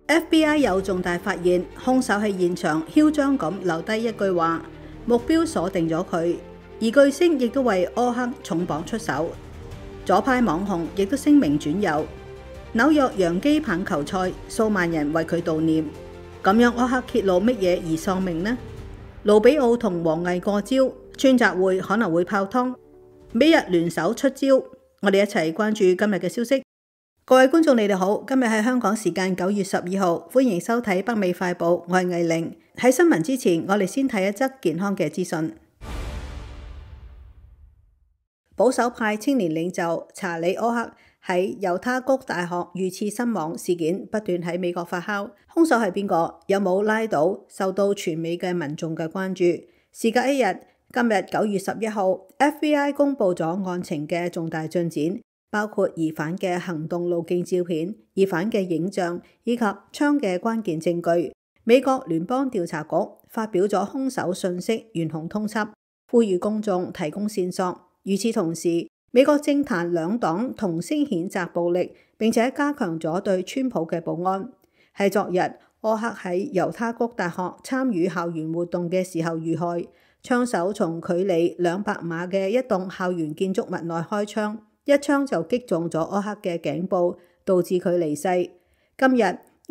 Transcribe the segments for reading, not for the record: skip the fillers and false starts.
FBI 有重大發現，兇手喺現場囂張咁留低一句話，目標鎖定咗佢。而巨星亦都為柯克重磅出手，左派網紅亦都聲名轉右。紐約洋基棒球賽，數萬人為佢悼念。咁樣柯克揭露乜嘢而喪命呢？盧比奧同王毅過招，川習會可能會泡湯。美日聯手出招，我哋一齊關注今日嘅消息。各位觀眾，你哋好，今日係香港時間9月12號，歡迎收睇北美快報，我係藝玲。喺新聞之前，我哋先睇一則健康嘅資訊。保守派青年領袖查理·柯克喺猶他谷大學遇刺身亡事件不斷喺美國發酵，兇手係邊個？有冇拉到？受到全美嘅民眾嘅關注。事隔一日，今日9月11號 ，FBI 公布咗案情嘅重大進展，包括疑犯嘅行動路徑照片、疑犯嘅影像以及槍嘅關鍵證據。美國聯邦調查局發表咗兇手訊息懸紅通緝，呼籲公眾提供線索。與此同時，美國政壇兩黨同聲譴責暴力，並且加強咗對川普嘅保安。喺昨日，柯克喺猶他谷大學參與校園活動嘅時候遇害，槍手從距離200碼嘅一棟校園建築物內開槍，一槍就擊中咗柯克嘅頸部，導致佢離世。今日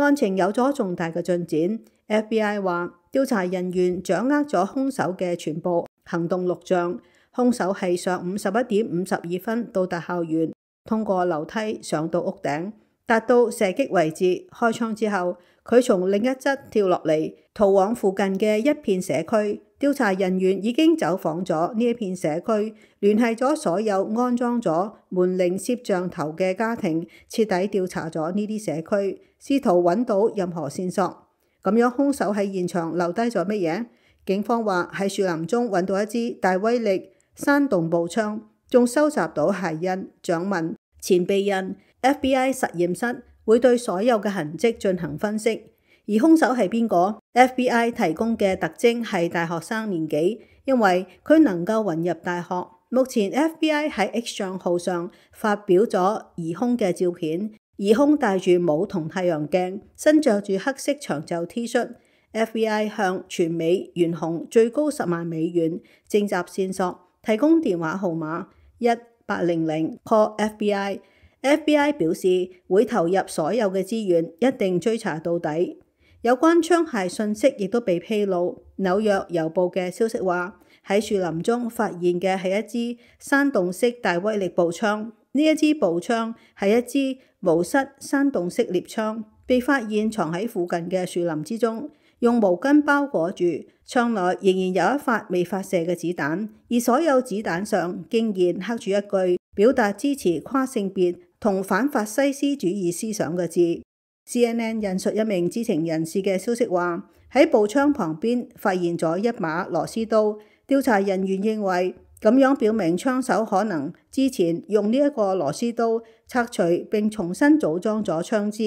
案情有咗重大嘅進展 ，FBI 話調查人員掌握咗兇手嘅全部行動錄像。兇手係上午11點52分到達校園，通過樓梯上到屋頂，達到射擊位置。開槍之後，佢從另一側跳落嚟，逃往附近嘅一片社區。調查人員已經走訪咗呢一片社區，聯繫咗所有安裝咗門鈴攝像頭嘅家庭，徹底調查咗呢啲社區，試圖揾到任何線索。咁樣兇手喺現場留低咗乜嘢？警方話喺樹林中揾到一支大威力山洞步槍，仲收集到鞋印、掌紋、前臂印。FBI 實驗室會對所有嘅痕跡進行分析。而兇手係邊個？ FBI 提供嘅特徵係大學生年紀，因為佢能夠混入大學。目前 FBI 喺 X 賬號上發表咗疑兇嘅照片，疑兇戴住帽同太陽鏡，身着住黑色長袖 T 恤。FBI 向全美懸紅最高10萬美元徵集線索，提供電話號碼1800 call FBI。FBI 表示會投入所有嘅資源，一定追查到底。有關槍械信息亦都被披露。紐約郵報嘅消息話，喺樹林中發現嘅係一支山洞式大威力步槍。呢一支步槍係一支無室山洞式獵槍，被發現藏喺附近嘅樹林之中，用毛巾包裹住。槍內仍然有一發未發射嘅子彈，而所有子彈上竟然刻住一句表達支持跨性別同反法西斯主義思想嘅字。CNN 引述一名知情人士嘅消息話，喺步槍旁邊發現咗一把螺絲刀。調查人員認為咁樣表明槍手可能之前用呢一個螺絲刀拆除並重新組裝咗槍支。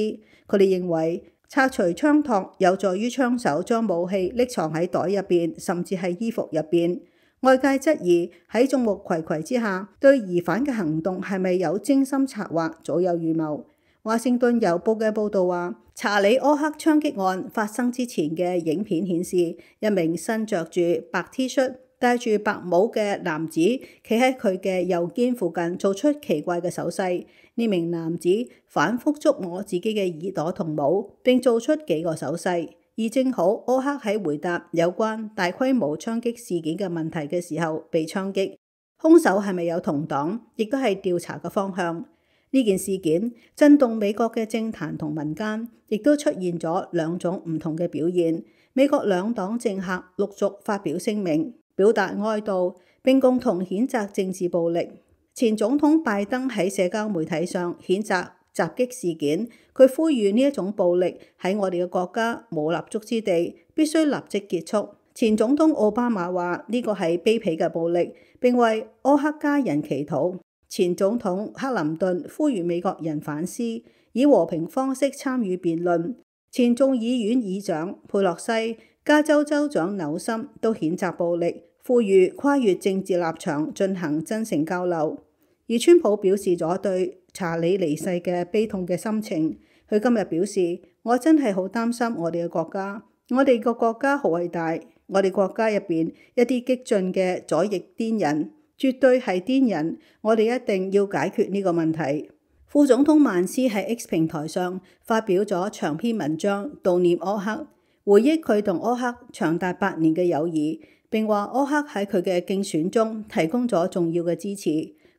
佢哋認為拆除槍托有助於槍手將武器匿藏喺袋入邊，甚至係衣服入邊。外界質疑喺眾目睽睽之下，對疑犯嘅行動係咪有精心策劃、早有預謀？華盛頓郵報嘅報導話，查理·柯克槍擊案發生之前嘅影片顯示，一名身着住白 T 恤、戴住白帽嘅男子企喺佢嘅右肩附近，做出奇怪嘅手勢。呢名男子反覆觸摸自己嘅耳朵同帽，並做出幾個手勢。而正好柯克喺回答有關大規模槍擊事件嘅問題嘅時候被槍擊。兇手係咪有同黨，亦都係調查嘅方向。呢件事件震動美國嘅政壇同民間，亦都出現咗兩種唔同嘅表現。美國兩黨政客陸續發表聲明，表達哀悼，並共同譴責政治暴力。前總統拜登喺社交媒體上譴責襲擊事件，佢呼籲呢一種暴力喺我哋嘅國家冇立足之地，必須立即結束。前總統奧巴馬話呢個係卑鄙嘅暴力，並為柯克家人祈禱。前總統克林頓呼籲美國人反思，以和平方式參與辯論。前眾議院議長佩洛西、加州州長紐森都譴責暴力，呼籲跨越政治立場進行真誠交流。而川普表示咗對查理離世嘅悲痛嘅心情，佢佢今日表示：我真係好擔心我哋嘅國家，我哋個國家好偉大，我哋國家入邊一啲激進嘅左翼癲人，絕對係癲人，我哋一定要解決呢個問題。副總統曼斯喺 X 平台上發表咗長篇文章悼念柯克，回憶佢同柯克長達8年嘅友誼，並話柯克喺佢嘅競選中提供咗重要嘅支持。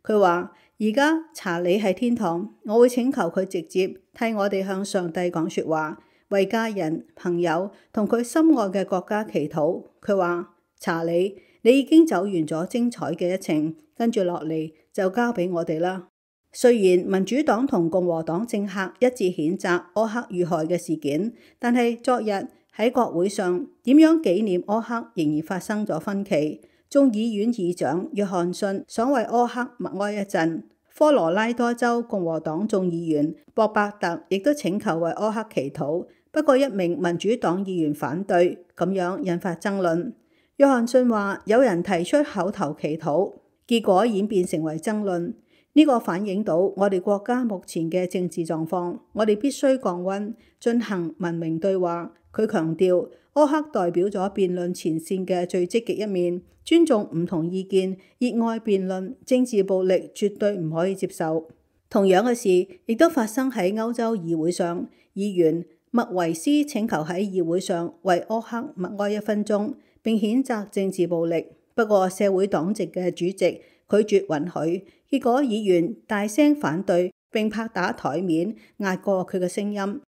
佢話：而家查理喺天堂，我會請求佢直接替我哋向上帝講說話，為家人、朋友同佢心愛嘅國家祈禱。佢話：查理，你已經走完咗精彩嘅一程，跟住落嚟就交俾我哋啦。雖然民主黨同共和黨政客一致譴責柯克遇害嘅事件，但係昨日喺國會上點樣紀念柯克仍然發生咗分歧。眾議院議長約翰遜想為柯克默哀一陣，科羅拉多州共和黨眾議員博伯特亦都請求為柯克祈禱，不過一名民主黨議員反對，咁樣引發爭論。約翰遜話有人提出口頭祈禱，結果演變成為爭論。呢個反映到我哋國家目前嘅政治狀況，我哋必須降溫，進行文明對話。佢強調，柯克代表咗辯論前線嘅最積極一面，尊重唔同意見，熱愛辯論，政治暴力絕對唔可以接受。同樣嘅事亦都發生喺歐洲議會上，議員麥維斯請求喺議會上為柯克默哀1分鐘，並譴責政治暴力。不過社會黨籍嘅主席拒絕允許，結果議員大聲反對並拍打台面壓過佢嘅聲音。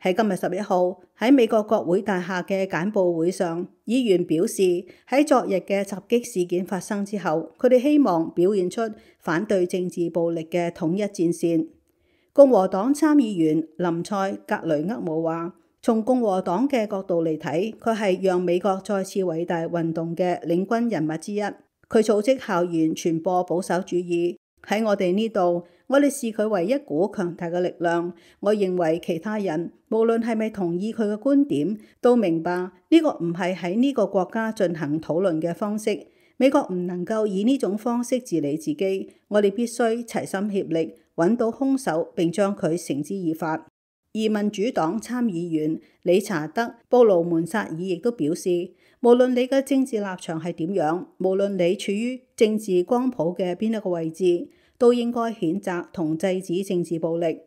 喺今日11號喺美國國會大廈嘅簡報會上，議員表示喺昨日嘅襲擊事件發生之後，佢哋希望表現出反對政治暴力嘅統一戰線。共和黨參議員林賽格雷厄姆話：從共和黨嘅角度嚟睇，佢係讓美國再次偉大運動嘅領軍人物之一。佢組織校園傳播保守主義。喺我哋呢度，我哋視佢為一股強大嘅力量。我認為其他人無論係咪同意佢嘅觀點，都明白呢個唔係喺呢個國家進行討論嘅方式。美國唔能夠以呢種方式治理自己。我哋必須齊心協力，揾到兇手並將佢繩之以法。而民主黨參議員理查德布魯門薩爾亦都表示，無論你嘅政治立場係點樣，無論你處於政治光譜嘅邊一個位置，都應該譴責同制止政治暴力。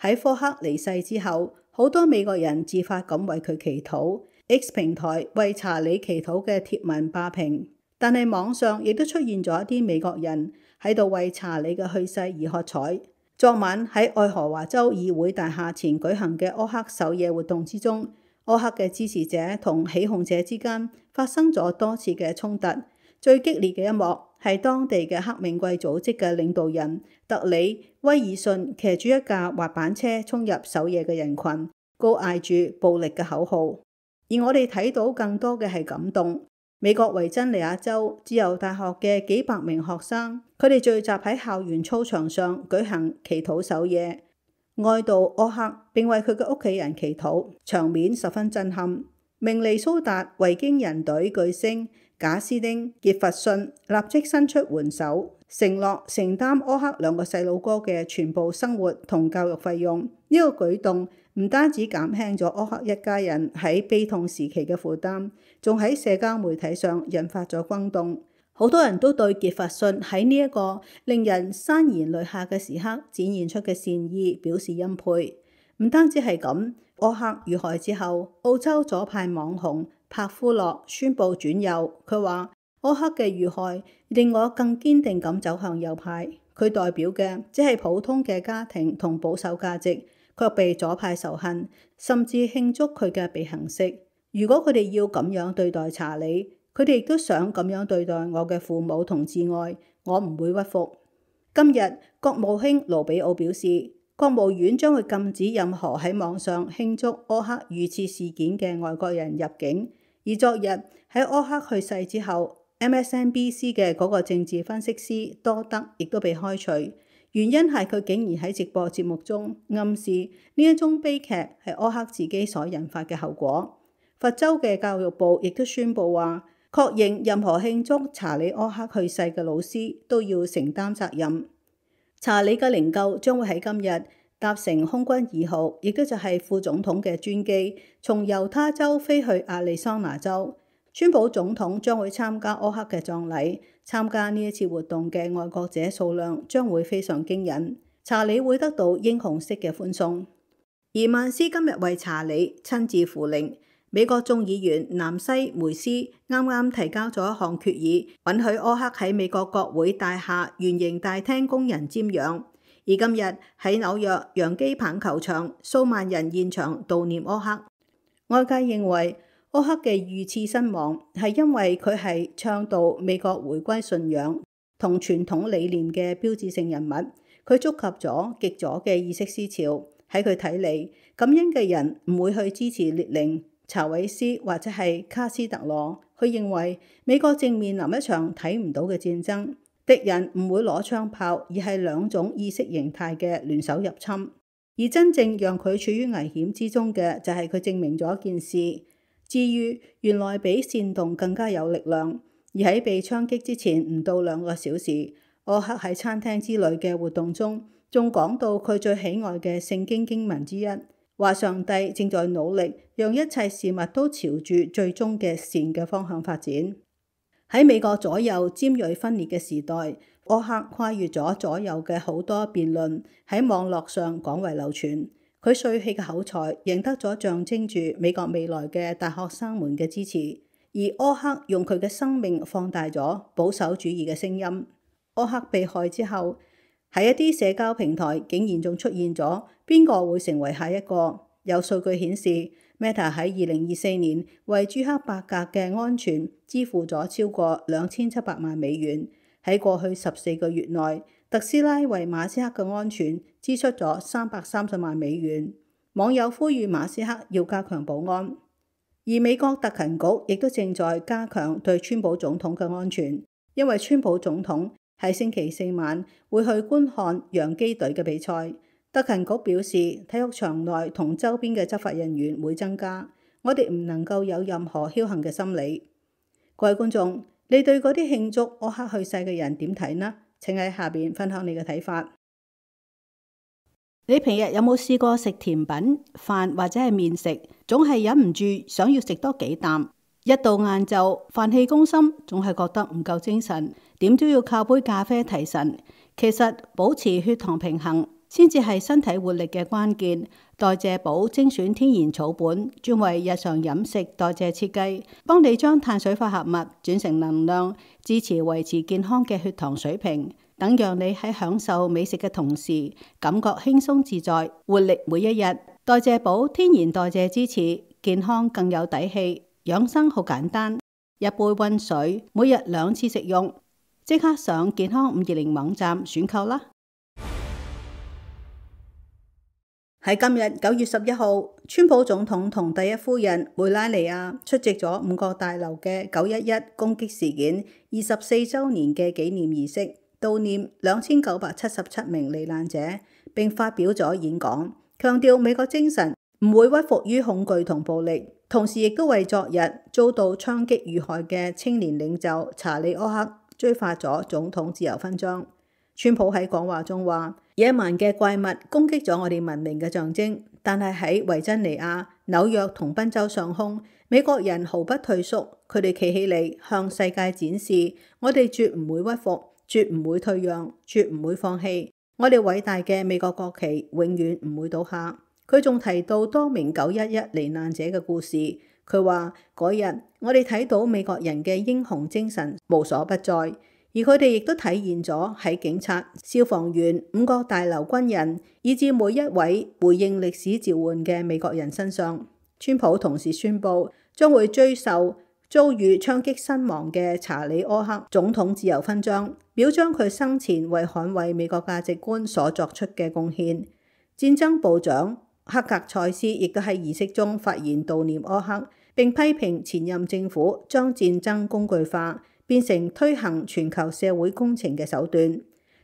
喺科克離世之後，好多美國人自發咁為佢祈禱。X 平台為查理祈禱嘅貼文霸屏，但係網上亦都出現咗一啲美國人喺度為查理嘅去世而喝彩。昨晚喺愛荷華州議會大廈前舉行嘅柯克守夜活動之中，柯克嘅支持者同起哄者之間發生咗多次嘅衝突。最激烈嘅一幕係當地嘅黑命貴組織嘅領導人特里威爾遜騎住一架滑板車衝入守夜嘅人群，高嗌住暴力嘅口號。而我哋睇到更多嘅係感動。美國維珍尼亞州自由大學嘅幾百名學生，佢哋聚集喺校園操場上舉行祈禱守夜，哀悼柯克並為佢嘅屋企人祈禱，場面十分震撼。明尼蘇達維京人隊巨星賈斯丁傑弗遜立即伸出援手，承諾承擔柯克2個細路哥嘅全部生活同教育費用。呢個舉動唔單止減輕咗柯克一家人喺悲痛時期嘅負擔，仲喺社交媒體上引發咗轟動。好多人都對傑弗遜喺呢一個令人潸然淚下嘅時刻展現出嘅善意表示欽佩。唔單止係咁，柯克遇害之後，澳洲左派網紅帕夫洛宣布轉右。佢話柯克嘅遇害令我更堅定咁走向右派。佢代表嘅只係普通嘅家庭同保守價值，卻被左派仇恨，甚至慶祝佢嘅被行釋。如果佢哋要咁樣對待查理，佢哋亦都想咁樣對待我嘅父母同摯愛，我唔會屈服。今日國務卿盧比奧表示，國務院將會禁止任何喺網上慶祝柯克遇刺事件嘅外國人入境。而昨日喺柯克去世之後， MSNBC 嘅嗰個政治分析師多德亦都被開除，原因係佢竟然喺直播節目中暗示呢一宗悲劇係柯克自己所引發嘅後果。佛州嘅教育部亦都宣布話，確認任何慶祝查理柯克去世嘅老師都要承擔責任。查理嘅靈柩將會喺今日搭乘空軍2號，亦都就係副總統嘅專機，從猶他州飛去亞利桑那州。川普總統將會參加柯克嘅葬禮，參加呢一次活動嘅愛國者數量將會非常驚人。查理會得到英雄式嘅歡送。而曼斯今日為查理親自扶靈。美國眾議員南西梅斯啱啱提交咗一項決議，允許柯克喺美國國會大廈圓形大廳供人瞻仰。而今日喺紐約洋基棒球場，數萬人現場悼念柯克。外界認為柯克嘅遇刺身亡係因為佢係倡導美國回歸信仰同傳統理念嘅標誌性人物，佢觸及咗極左嘅意識思潮。喺佢睇嚟，感恩嘅人唔會去支持列寧、查韋斯或者係卡斯特羅。佢認為美國正面臨一場睇唔到嘅戰爭。敵人唔會攞槍炮，而係兩種意識形態嘅聯手入侵。而真正讓佢處於危險之中嘅，就係佢證明咗一件事：治癒原來比煽動更加有力量。而喺被槍擊之前唔到2個小時，柯克喺餐廳之類嘅活動中，仲講到佢最喜愛嘅聖經經文之一，話上帝正在努力讓一切事物都朝住最終嘅善嘅方向發展。喺美國左右尖銳分裂嘅時代，柯克跨越咗左右嘅好多辯論，喺網絡上廣為流傳。佢帥氣嘅口才贏得咗象徵住美國未來嘅大學生們嘅支持，而柯克用佢嘅生命放大咗保守主義嘅聲音。柯克被害之後，喺一啲社交平台竟然仲出現咗邊個會成為下一個。有數據顯示，Meta 喺2024年為朱克伯格嘅安全支付咗超過2700萬美元。喺過去14個月內，特斯拉為馬斯克嘅安全支出咗330萬美元。網友呼籲馬斯克要加強保安。而美國特勤局亦都正在加強對川普總統嘅安全，因為川普總統喺星期4晚會去觀看洋基隊嘅比賽。特勤局表示，體育場內同周邊嘅執法人員會增加，我哋唔能夠有任何僥倖嘅心理。各位觀眾，你對嗰啲慶祝柯克去世嘅人點睇呢？請喺下邊分享你嘅睇法。你平日有冇試過食甜品、飯或者係麵食，總係忍唔住想要食多幾啖？一到晏晝，飯氣攻心，總係覺得唔夠精神，點都要靠杯咖啡提神。其實保持血糖平衡先至係身體活力嘅關鍵。代謝寶精選天然草本，專為日常飲食代謝設計，幫你將碳水化合物轉成能量，支持維持健康嘅血糖水平，等讓你喺享受美食嘅同時，感覺輕鬆自在，活力每一日。代謝寶天然代謝支持，健康更有底氣。養生好簡單，一杯溫水，每日2次食用。即刻上健康520網站選購啦！喺今日9月11號，川普總統同第一夫人梅拉尼亞出席咗5角大樓嘅911攻擊事件24週年嘅紀念儀式，悼念2977名罹難者，並發表咗演講，強調美國精神唔會屈服於恐懼同暴力，同時亦都為昨日遭到槍擊遇害嘅青年領袖查理柯克追發咗總統自由勳章。川普喺講話中話：野蠻嘅怪物攻擊咗我哋文明嘅象徵，但係喺維珍尼亞、紐約同賓州上空，美國人毫不退縮，佢哋企起嚟向世界展示，我哋絕唔會屈服，絕唔會退讓，絕唔會放棄。我哋偉大嘅美國國旗永遠唔會倒下。佢仲提到多名911罹難者嘅故事，佢話嗰日我哋睇到美國人嘅英雄精神無所不在。而佢哋亦都體現咗喺警察、消防員、5角大樓軍人，以至每一位回應歷史召喚嘅美國人身上。川普同時宣布將會追授遭遇槍擊身亡嘅查理柯克總統自由勳章，表彰佢生前為捍衛美國價值觀所作出嘅貢獻。戰爭部長克格塞斯亦都喺儀式中發言悼念柯克，並批評前任政府將戰爭工具化，變成推行全球社會工程嘅手段。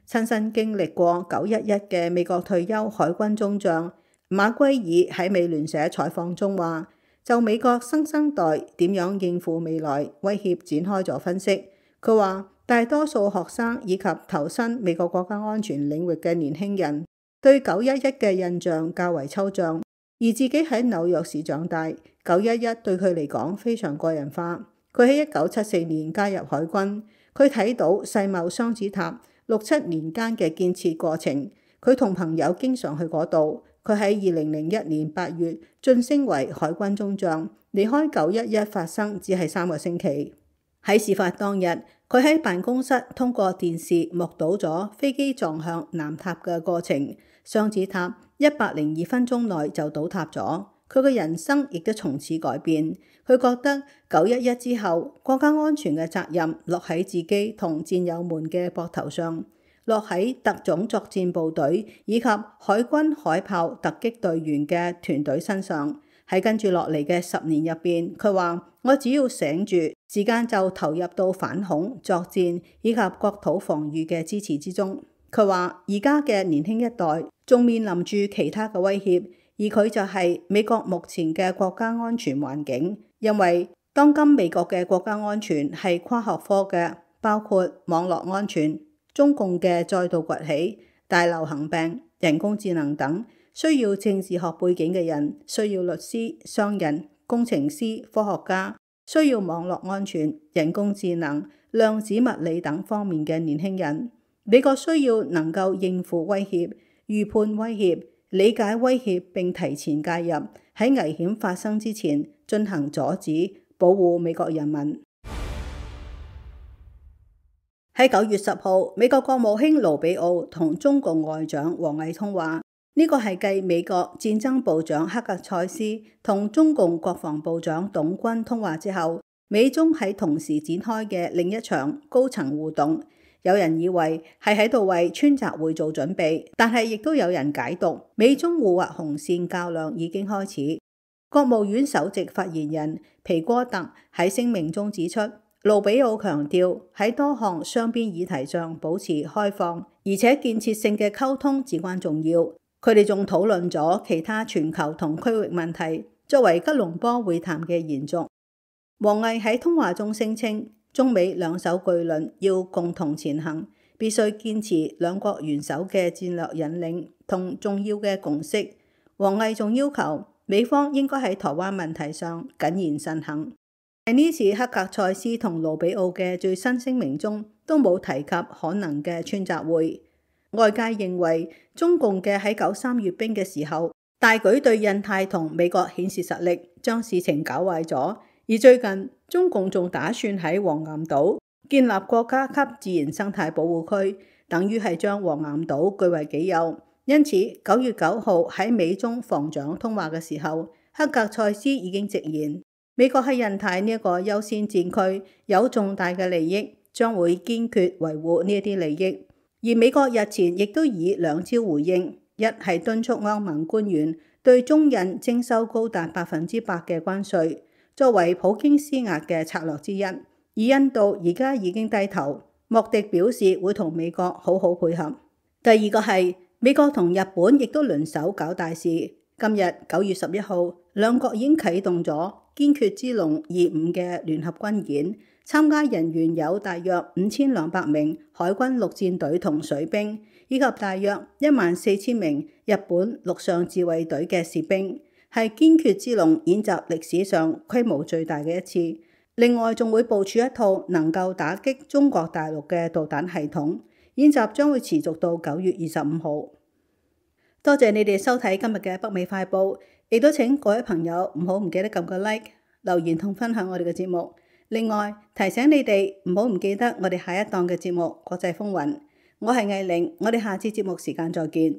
親身經歷過911嘅美國退休海軍中將馬圭爾喺美聯社採訪中話，就美國新生代點樣應付未來威脅展開咗分析。佢話大多數學生以及投身美國國家安全領域嘅年輕人對911嘅印象較為抽象，而自己喺紐約市長大，911對佢嚟講非常個人化。佢喺1974年加入海軍，佢睇到世貿雙子塔6、7年間嘅建設過程，佢同朋友經常去嗰度。佢喺2001年8月晉升為海軍中將，離開911發生只係3個星期。喺事發當日，佢喺辦公室通過電視目睹咗飛機撞向南塔嘅過程，雙子塔102分鐘內就倒塌咗。佢嘅人生亦都從此改變。佢覺得911之後，國家安全嘅責任落喺自己同戰友們嘅膊頭上，落喺特種作戰部隊以及海軍海豹突擊隊員嘅團隊身上。喺跟住落嚟嘅10年入邊，佢話：我只要醒住，時間就投入到反恐、作戰以及國土防禦嘅支持之中。佢話：而家嘅年輕一代仲面臨住其他嘅威脅，而佢就係美國目前嘅國家安全環境。因為當今美國嘅國家安全係跨學科嘅，包括網絡安全、中共嘅再度崛起、大流行病、人工智能等，需要政治學背景嘅人，需要律師、商人、工程師、科學家，需要網絡安全、人工智能、量子物理等方面嘅年輕人。美國需要能夠應付威脅、預判威脅、理解威脅並提前介入，喺危險發生之前進行阻止，保護美國人民。喺9月10號，美國國務卿盧比奧同中共外長王毅通話，呢個係繼美國戰爭部長克格塞斯同中共國防部長董軍通話之後，美中喺同時展開嘅另一場高層互動。有人以為係喺度為川習會做準備，但係亦都有人解讀美中互劃紅線較量已經開始。國務院首席發言人皮戈特喺聲明中指出，盧比奧強調喺多項雙邊議題上保持開放而且建設性嘅溝通至關重要。佢哋仲討論咗其他全球同區域問題，作為吉隆坡會談嘅延續。王毅喺通話中聲稱，中美兩艘巨輪要共同前行，必須堅持兩國元首嘅戰略引領同重要嘅共識。王毅仲要求美方應該喺台灣問題上謹言慎行。喺呢次克格塞斯同盧比奧嘅最新聲明中，都冇提及可能嘅川習會。外界認為中共嘅喺93閱兵嘅時候，大舉對印太同美國顯示實力，將事情搞壞咗。而最近中共仲打算喺黃岩島建立國家級自然生態保護區，等於係將黃岩島據為己有。因此9月9號喺美中防長通話嘅時候，克格塞斯已經直言，美國喺印太呢一個優先戰區有重大嘅利益，將會堅決維護呢一啲利益。而美國日前亦都以2招回應，一係敦促歐盟官員對中印徵收高達100%嘅關稅，作為普京施壓嘅策略之一。而印度而家已經低頭，莫迪表示會同美國好好配合。第二個係美國同日本亦都輪手搞大事。今日9月11號，兩國已經啟動咗堅決之龍25嘅聯合軍演，參加人員有大約5200名海軍陸戰隊同水兵，以及大約14000名日本陸上自衛隊嘅士兵，係堅決之龍演習歷史上規模最大嘅一次。另外仲會部署一套能夠打擊中國大陸嘅導彈系統。演習將會持續到9月25號。多謝你哋收睇今日嘅北美快報，亦都請各位朋友唔記得撳個 like、留言同分享我哋嘅節目。另外提醒你哋唔記得我哋下一檔嘅節目國際風雲。我係藝玲，我哋下次節目時間再見。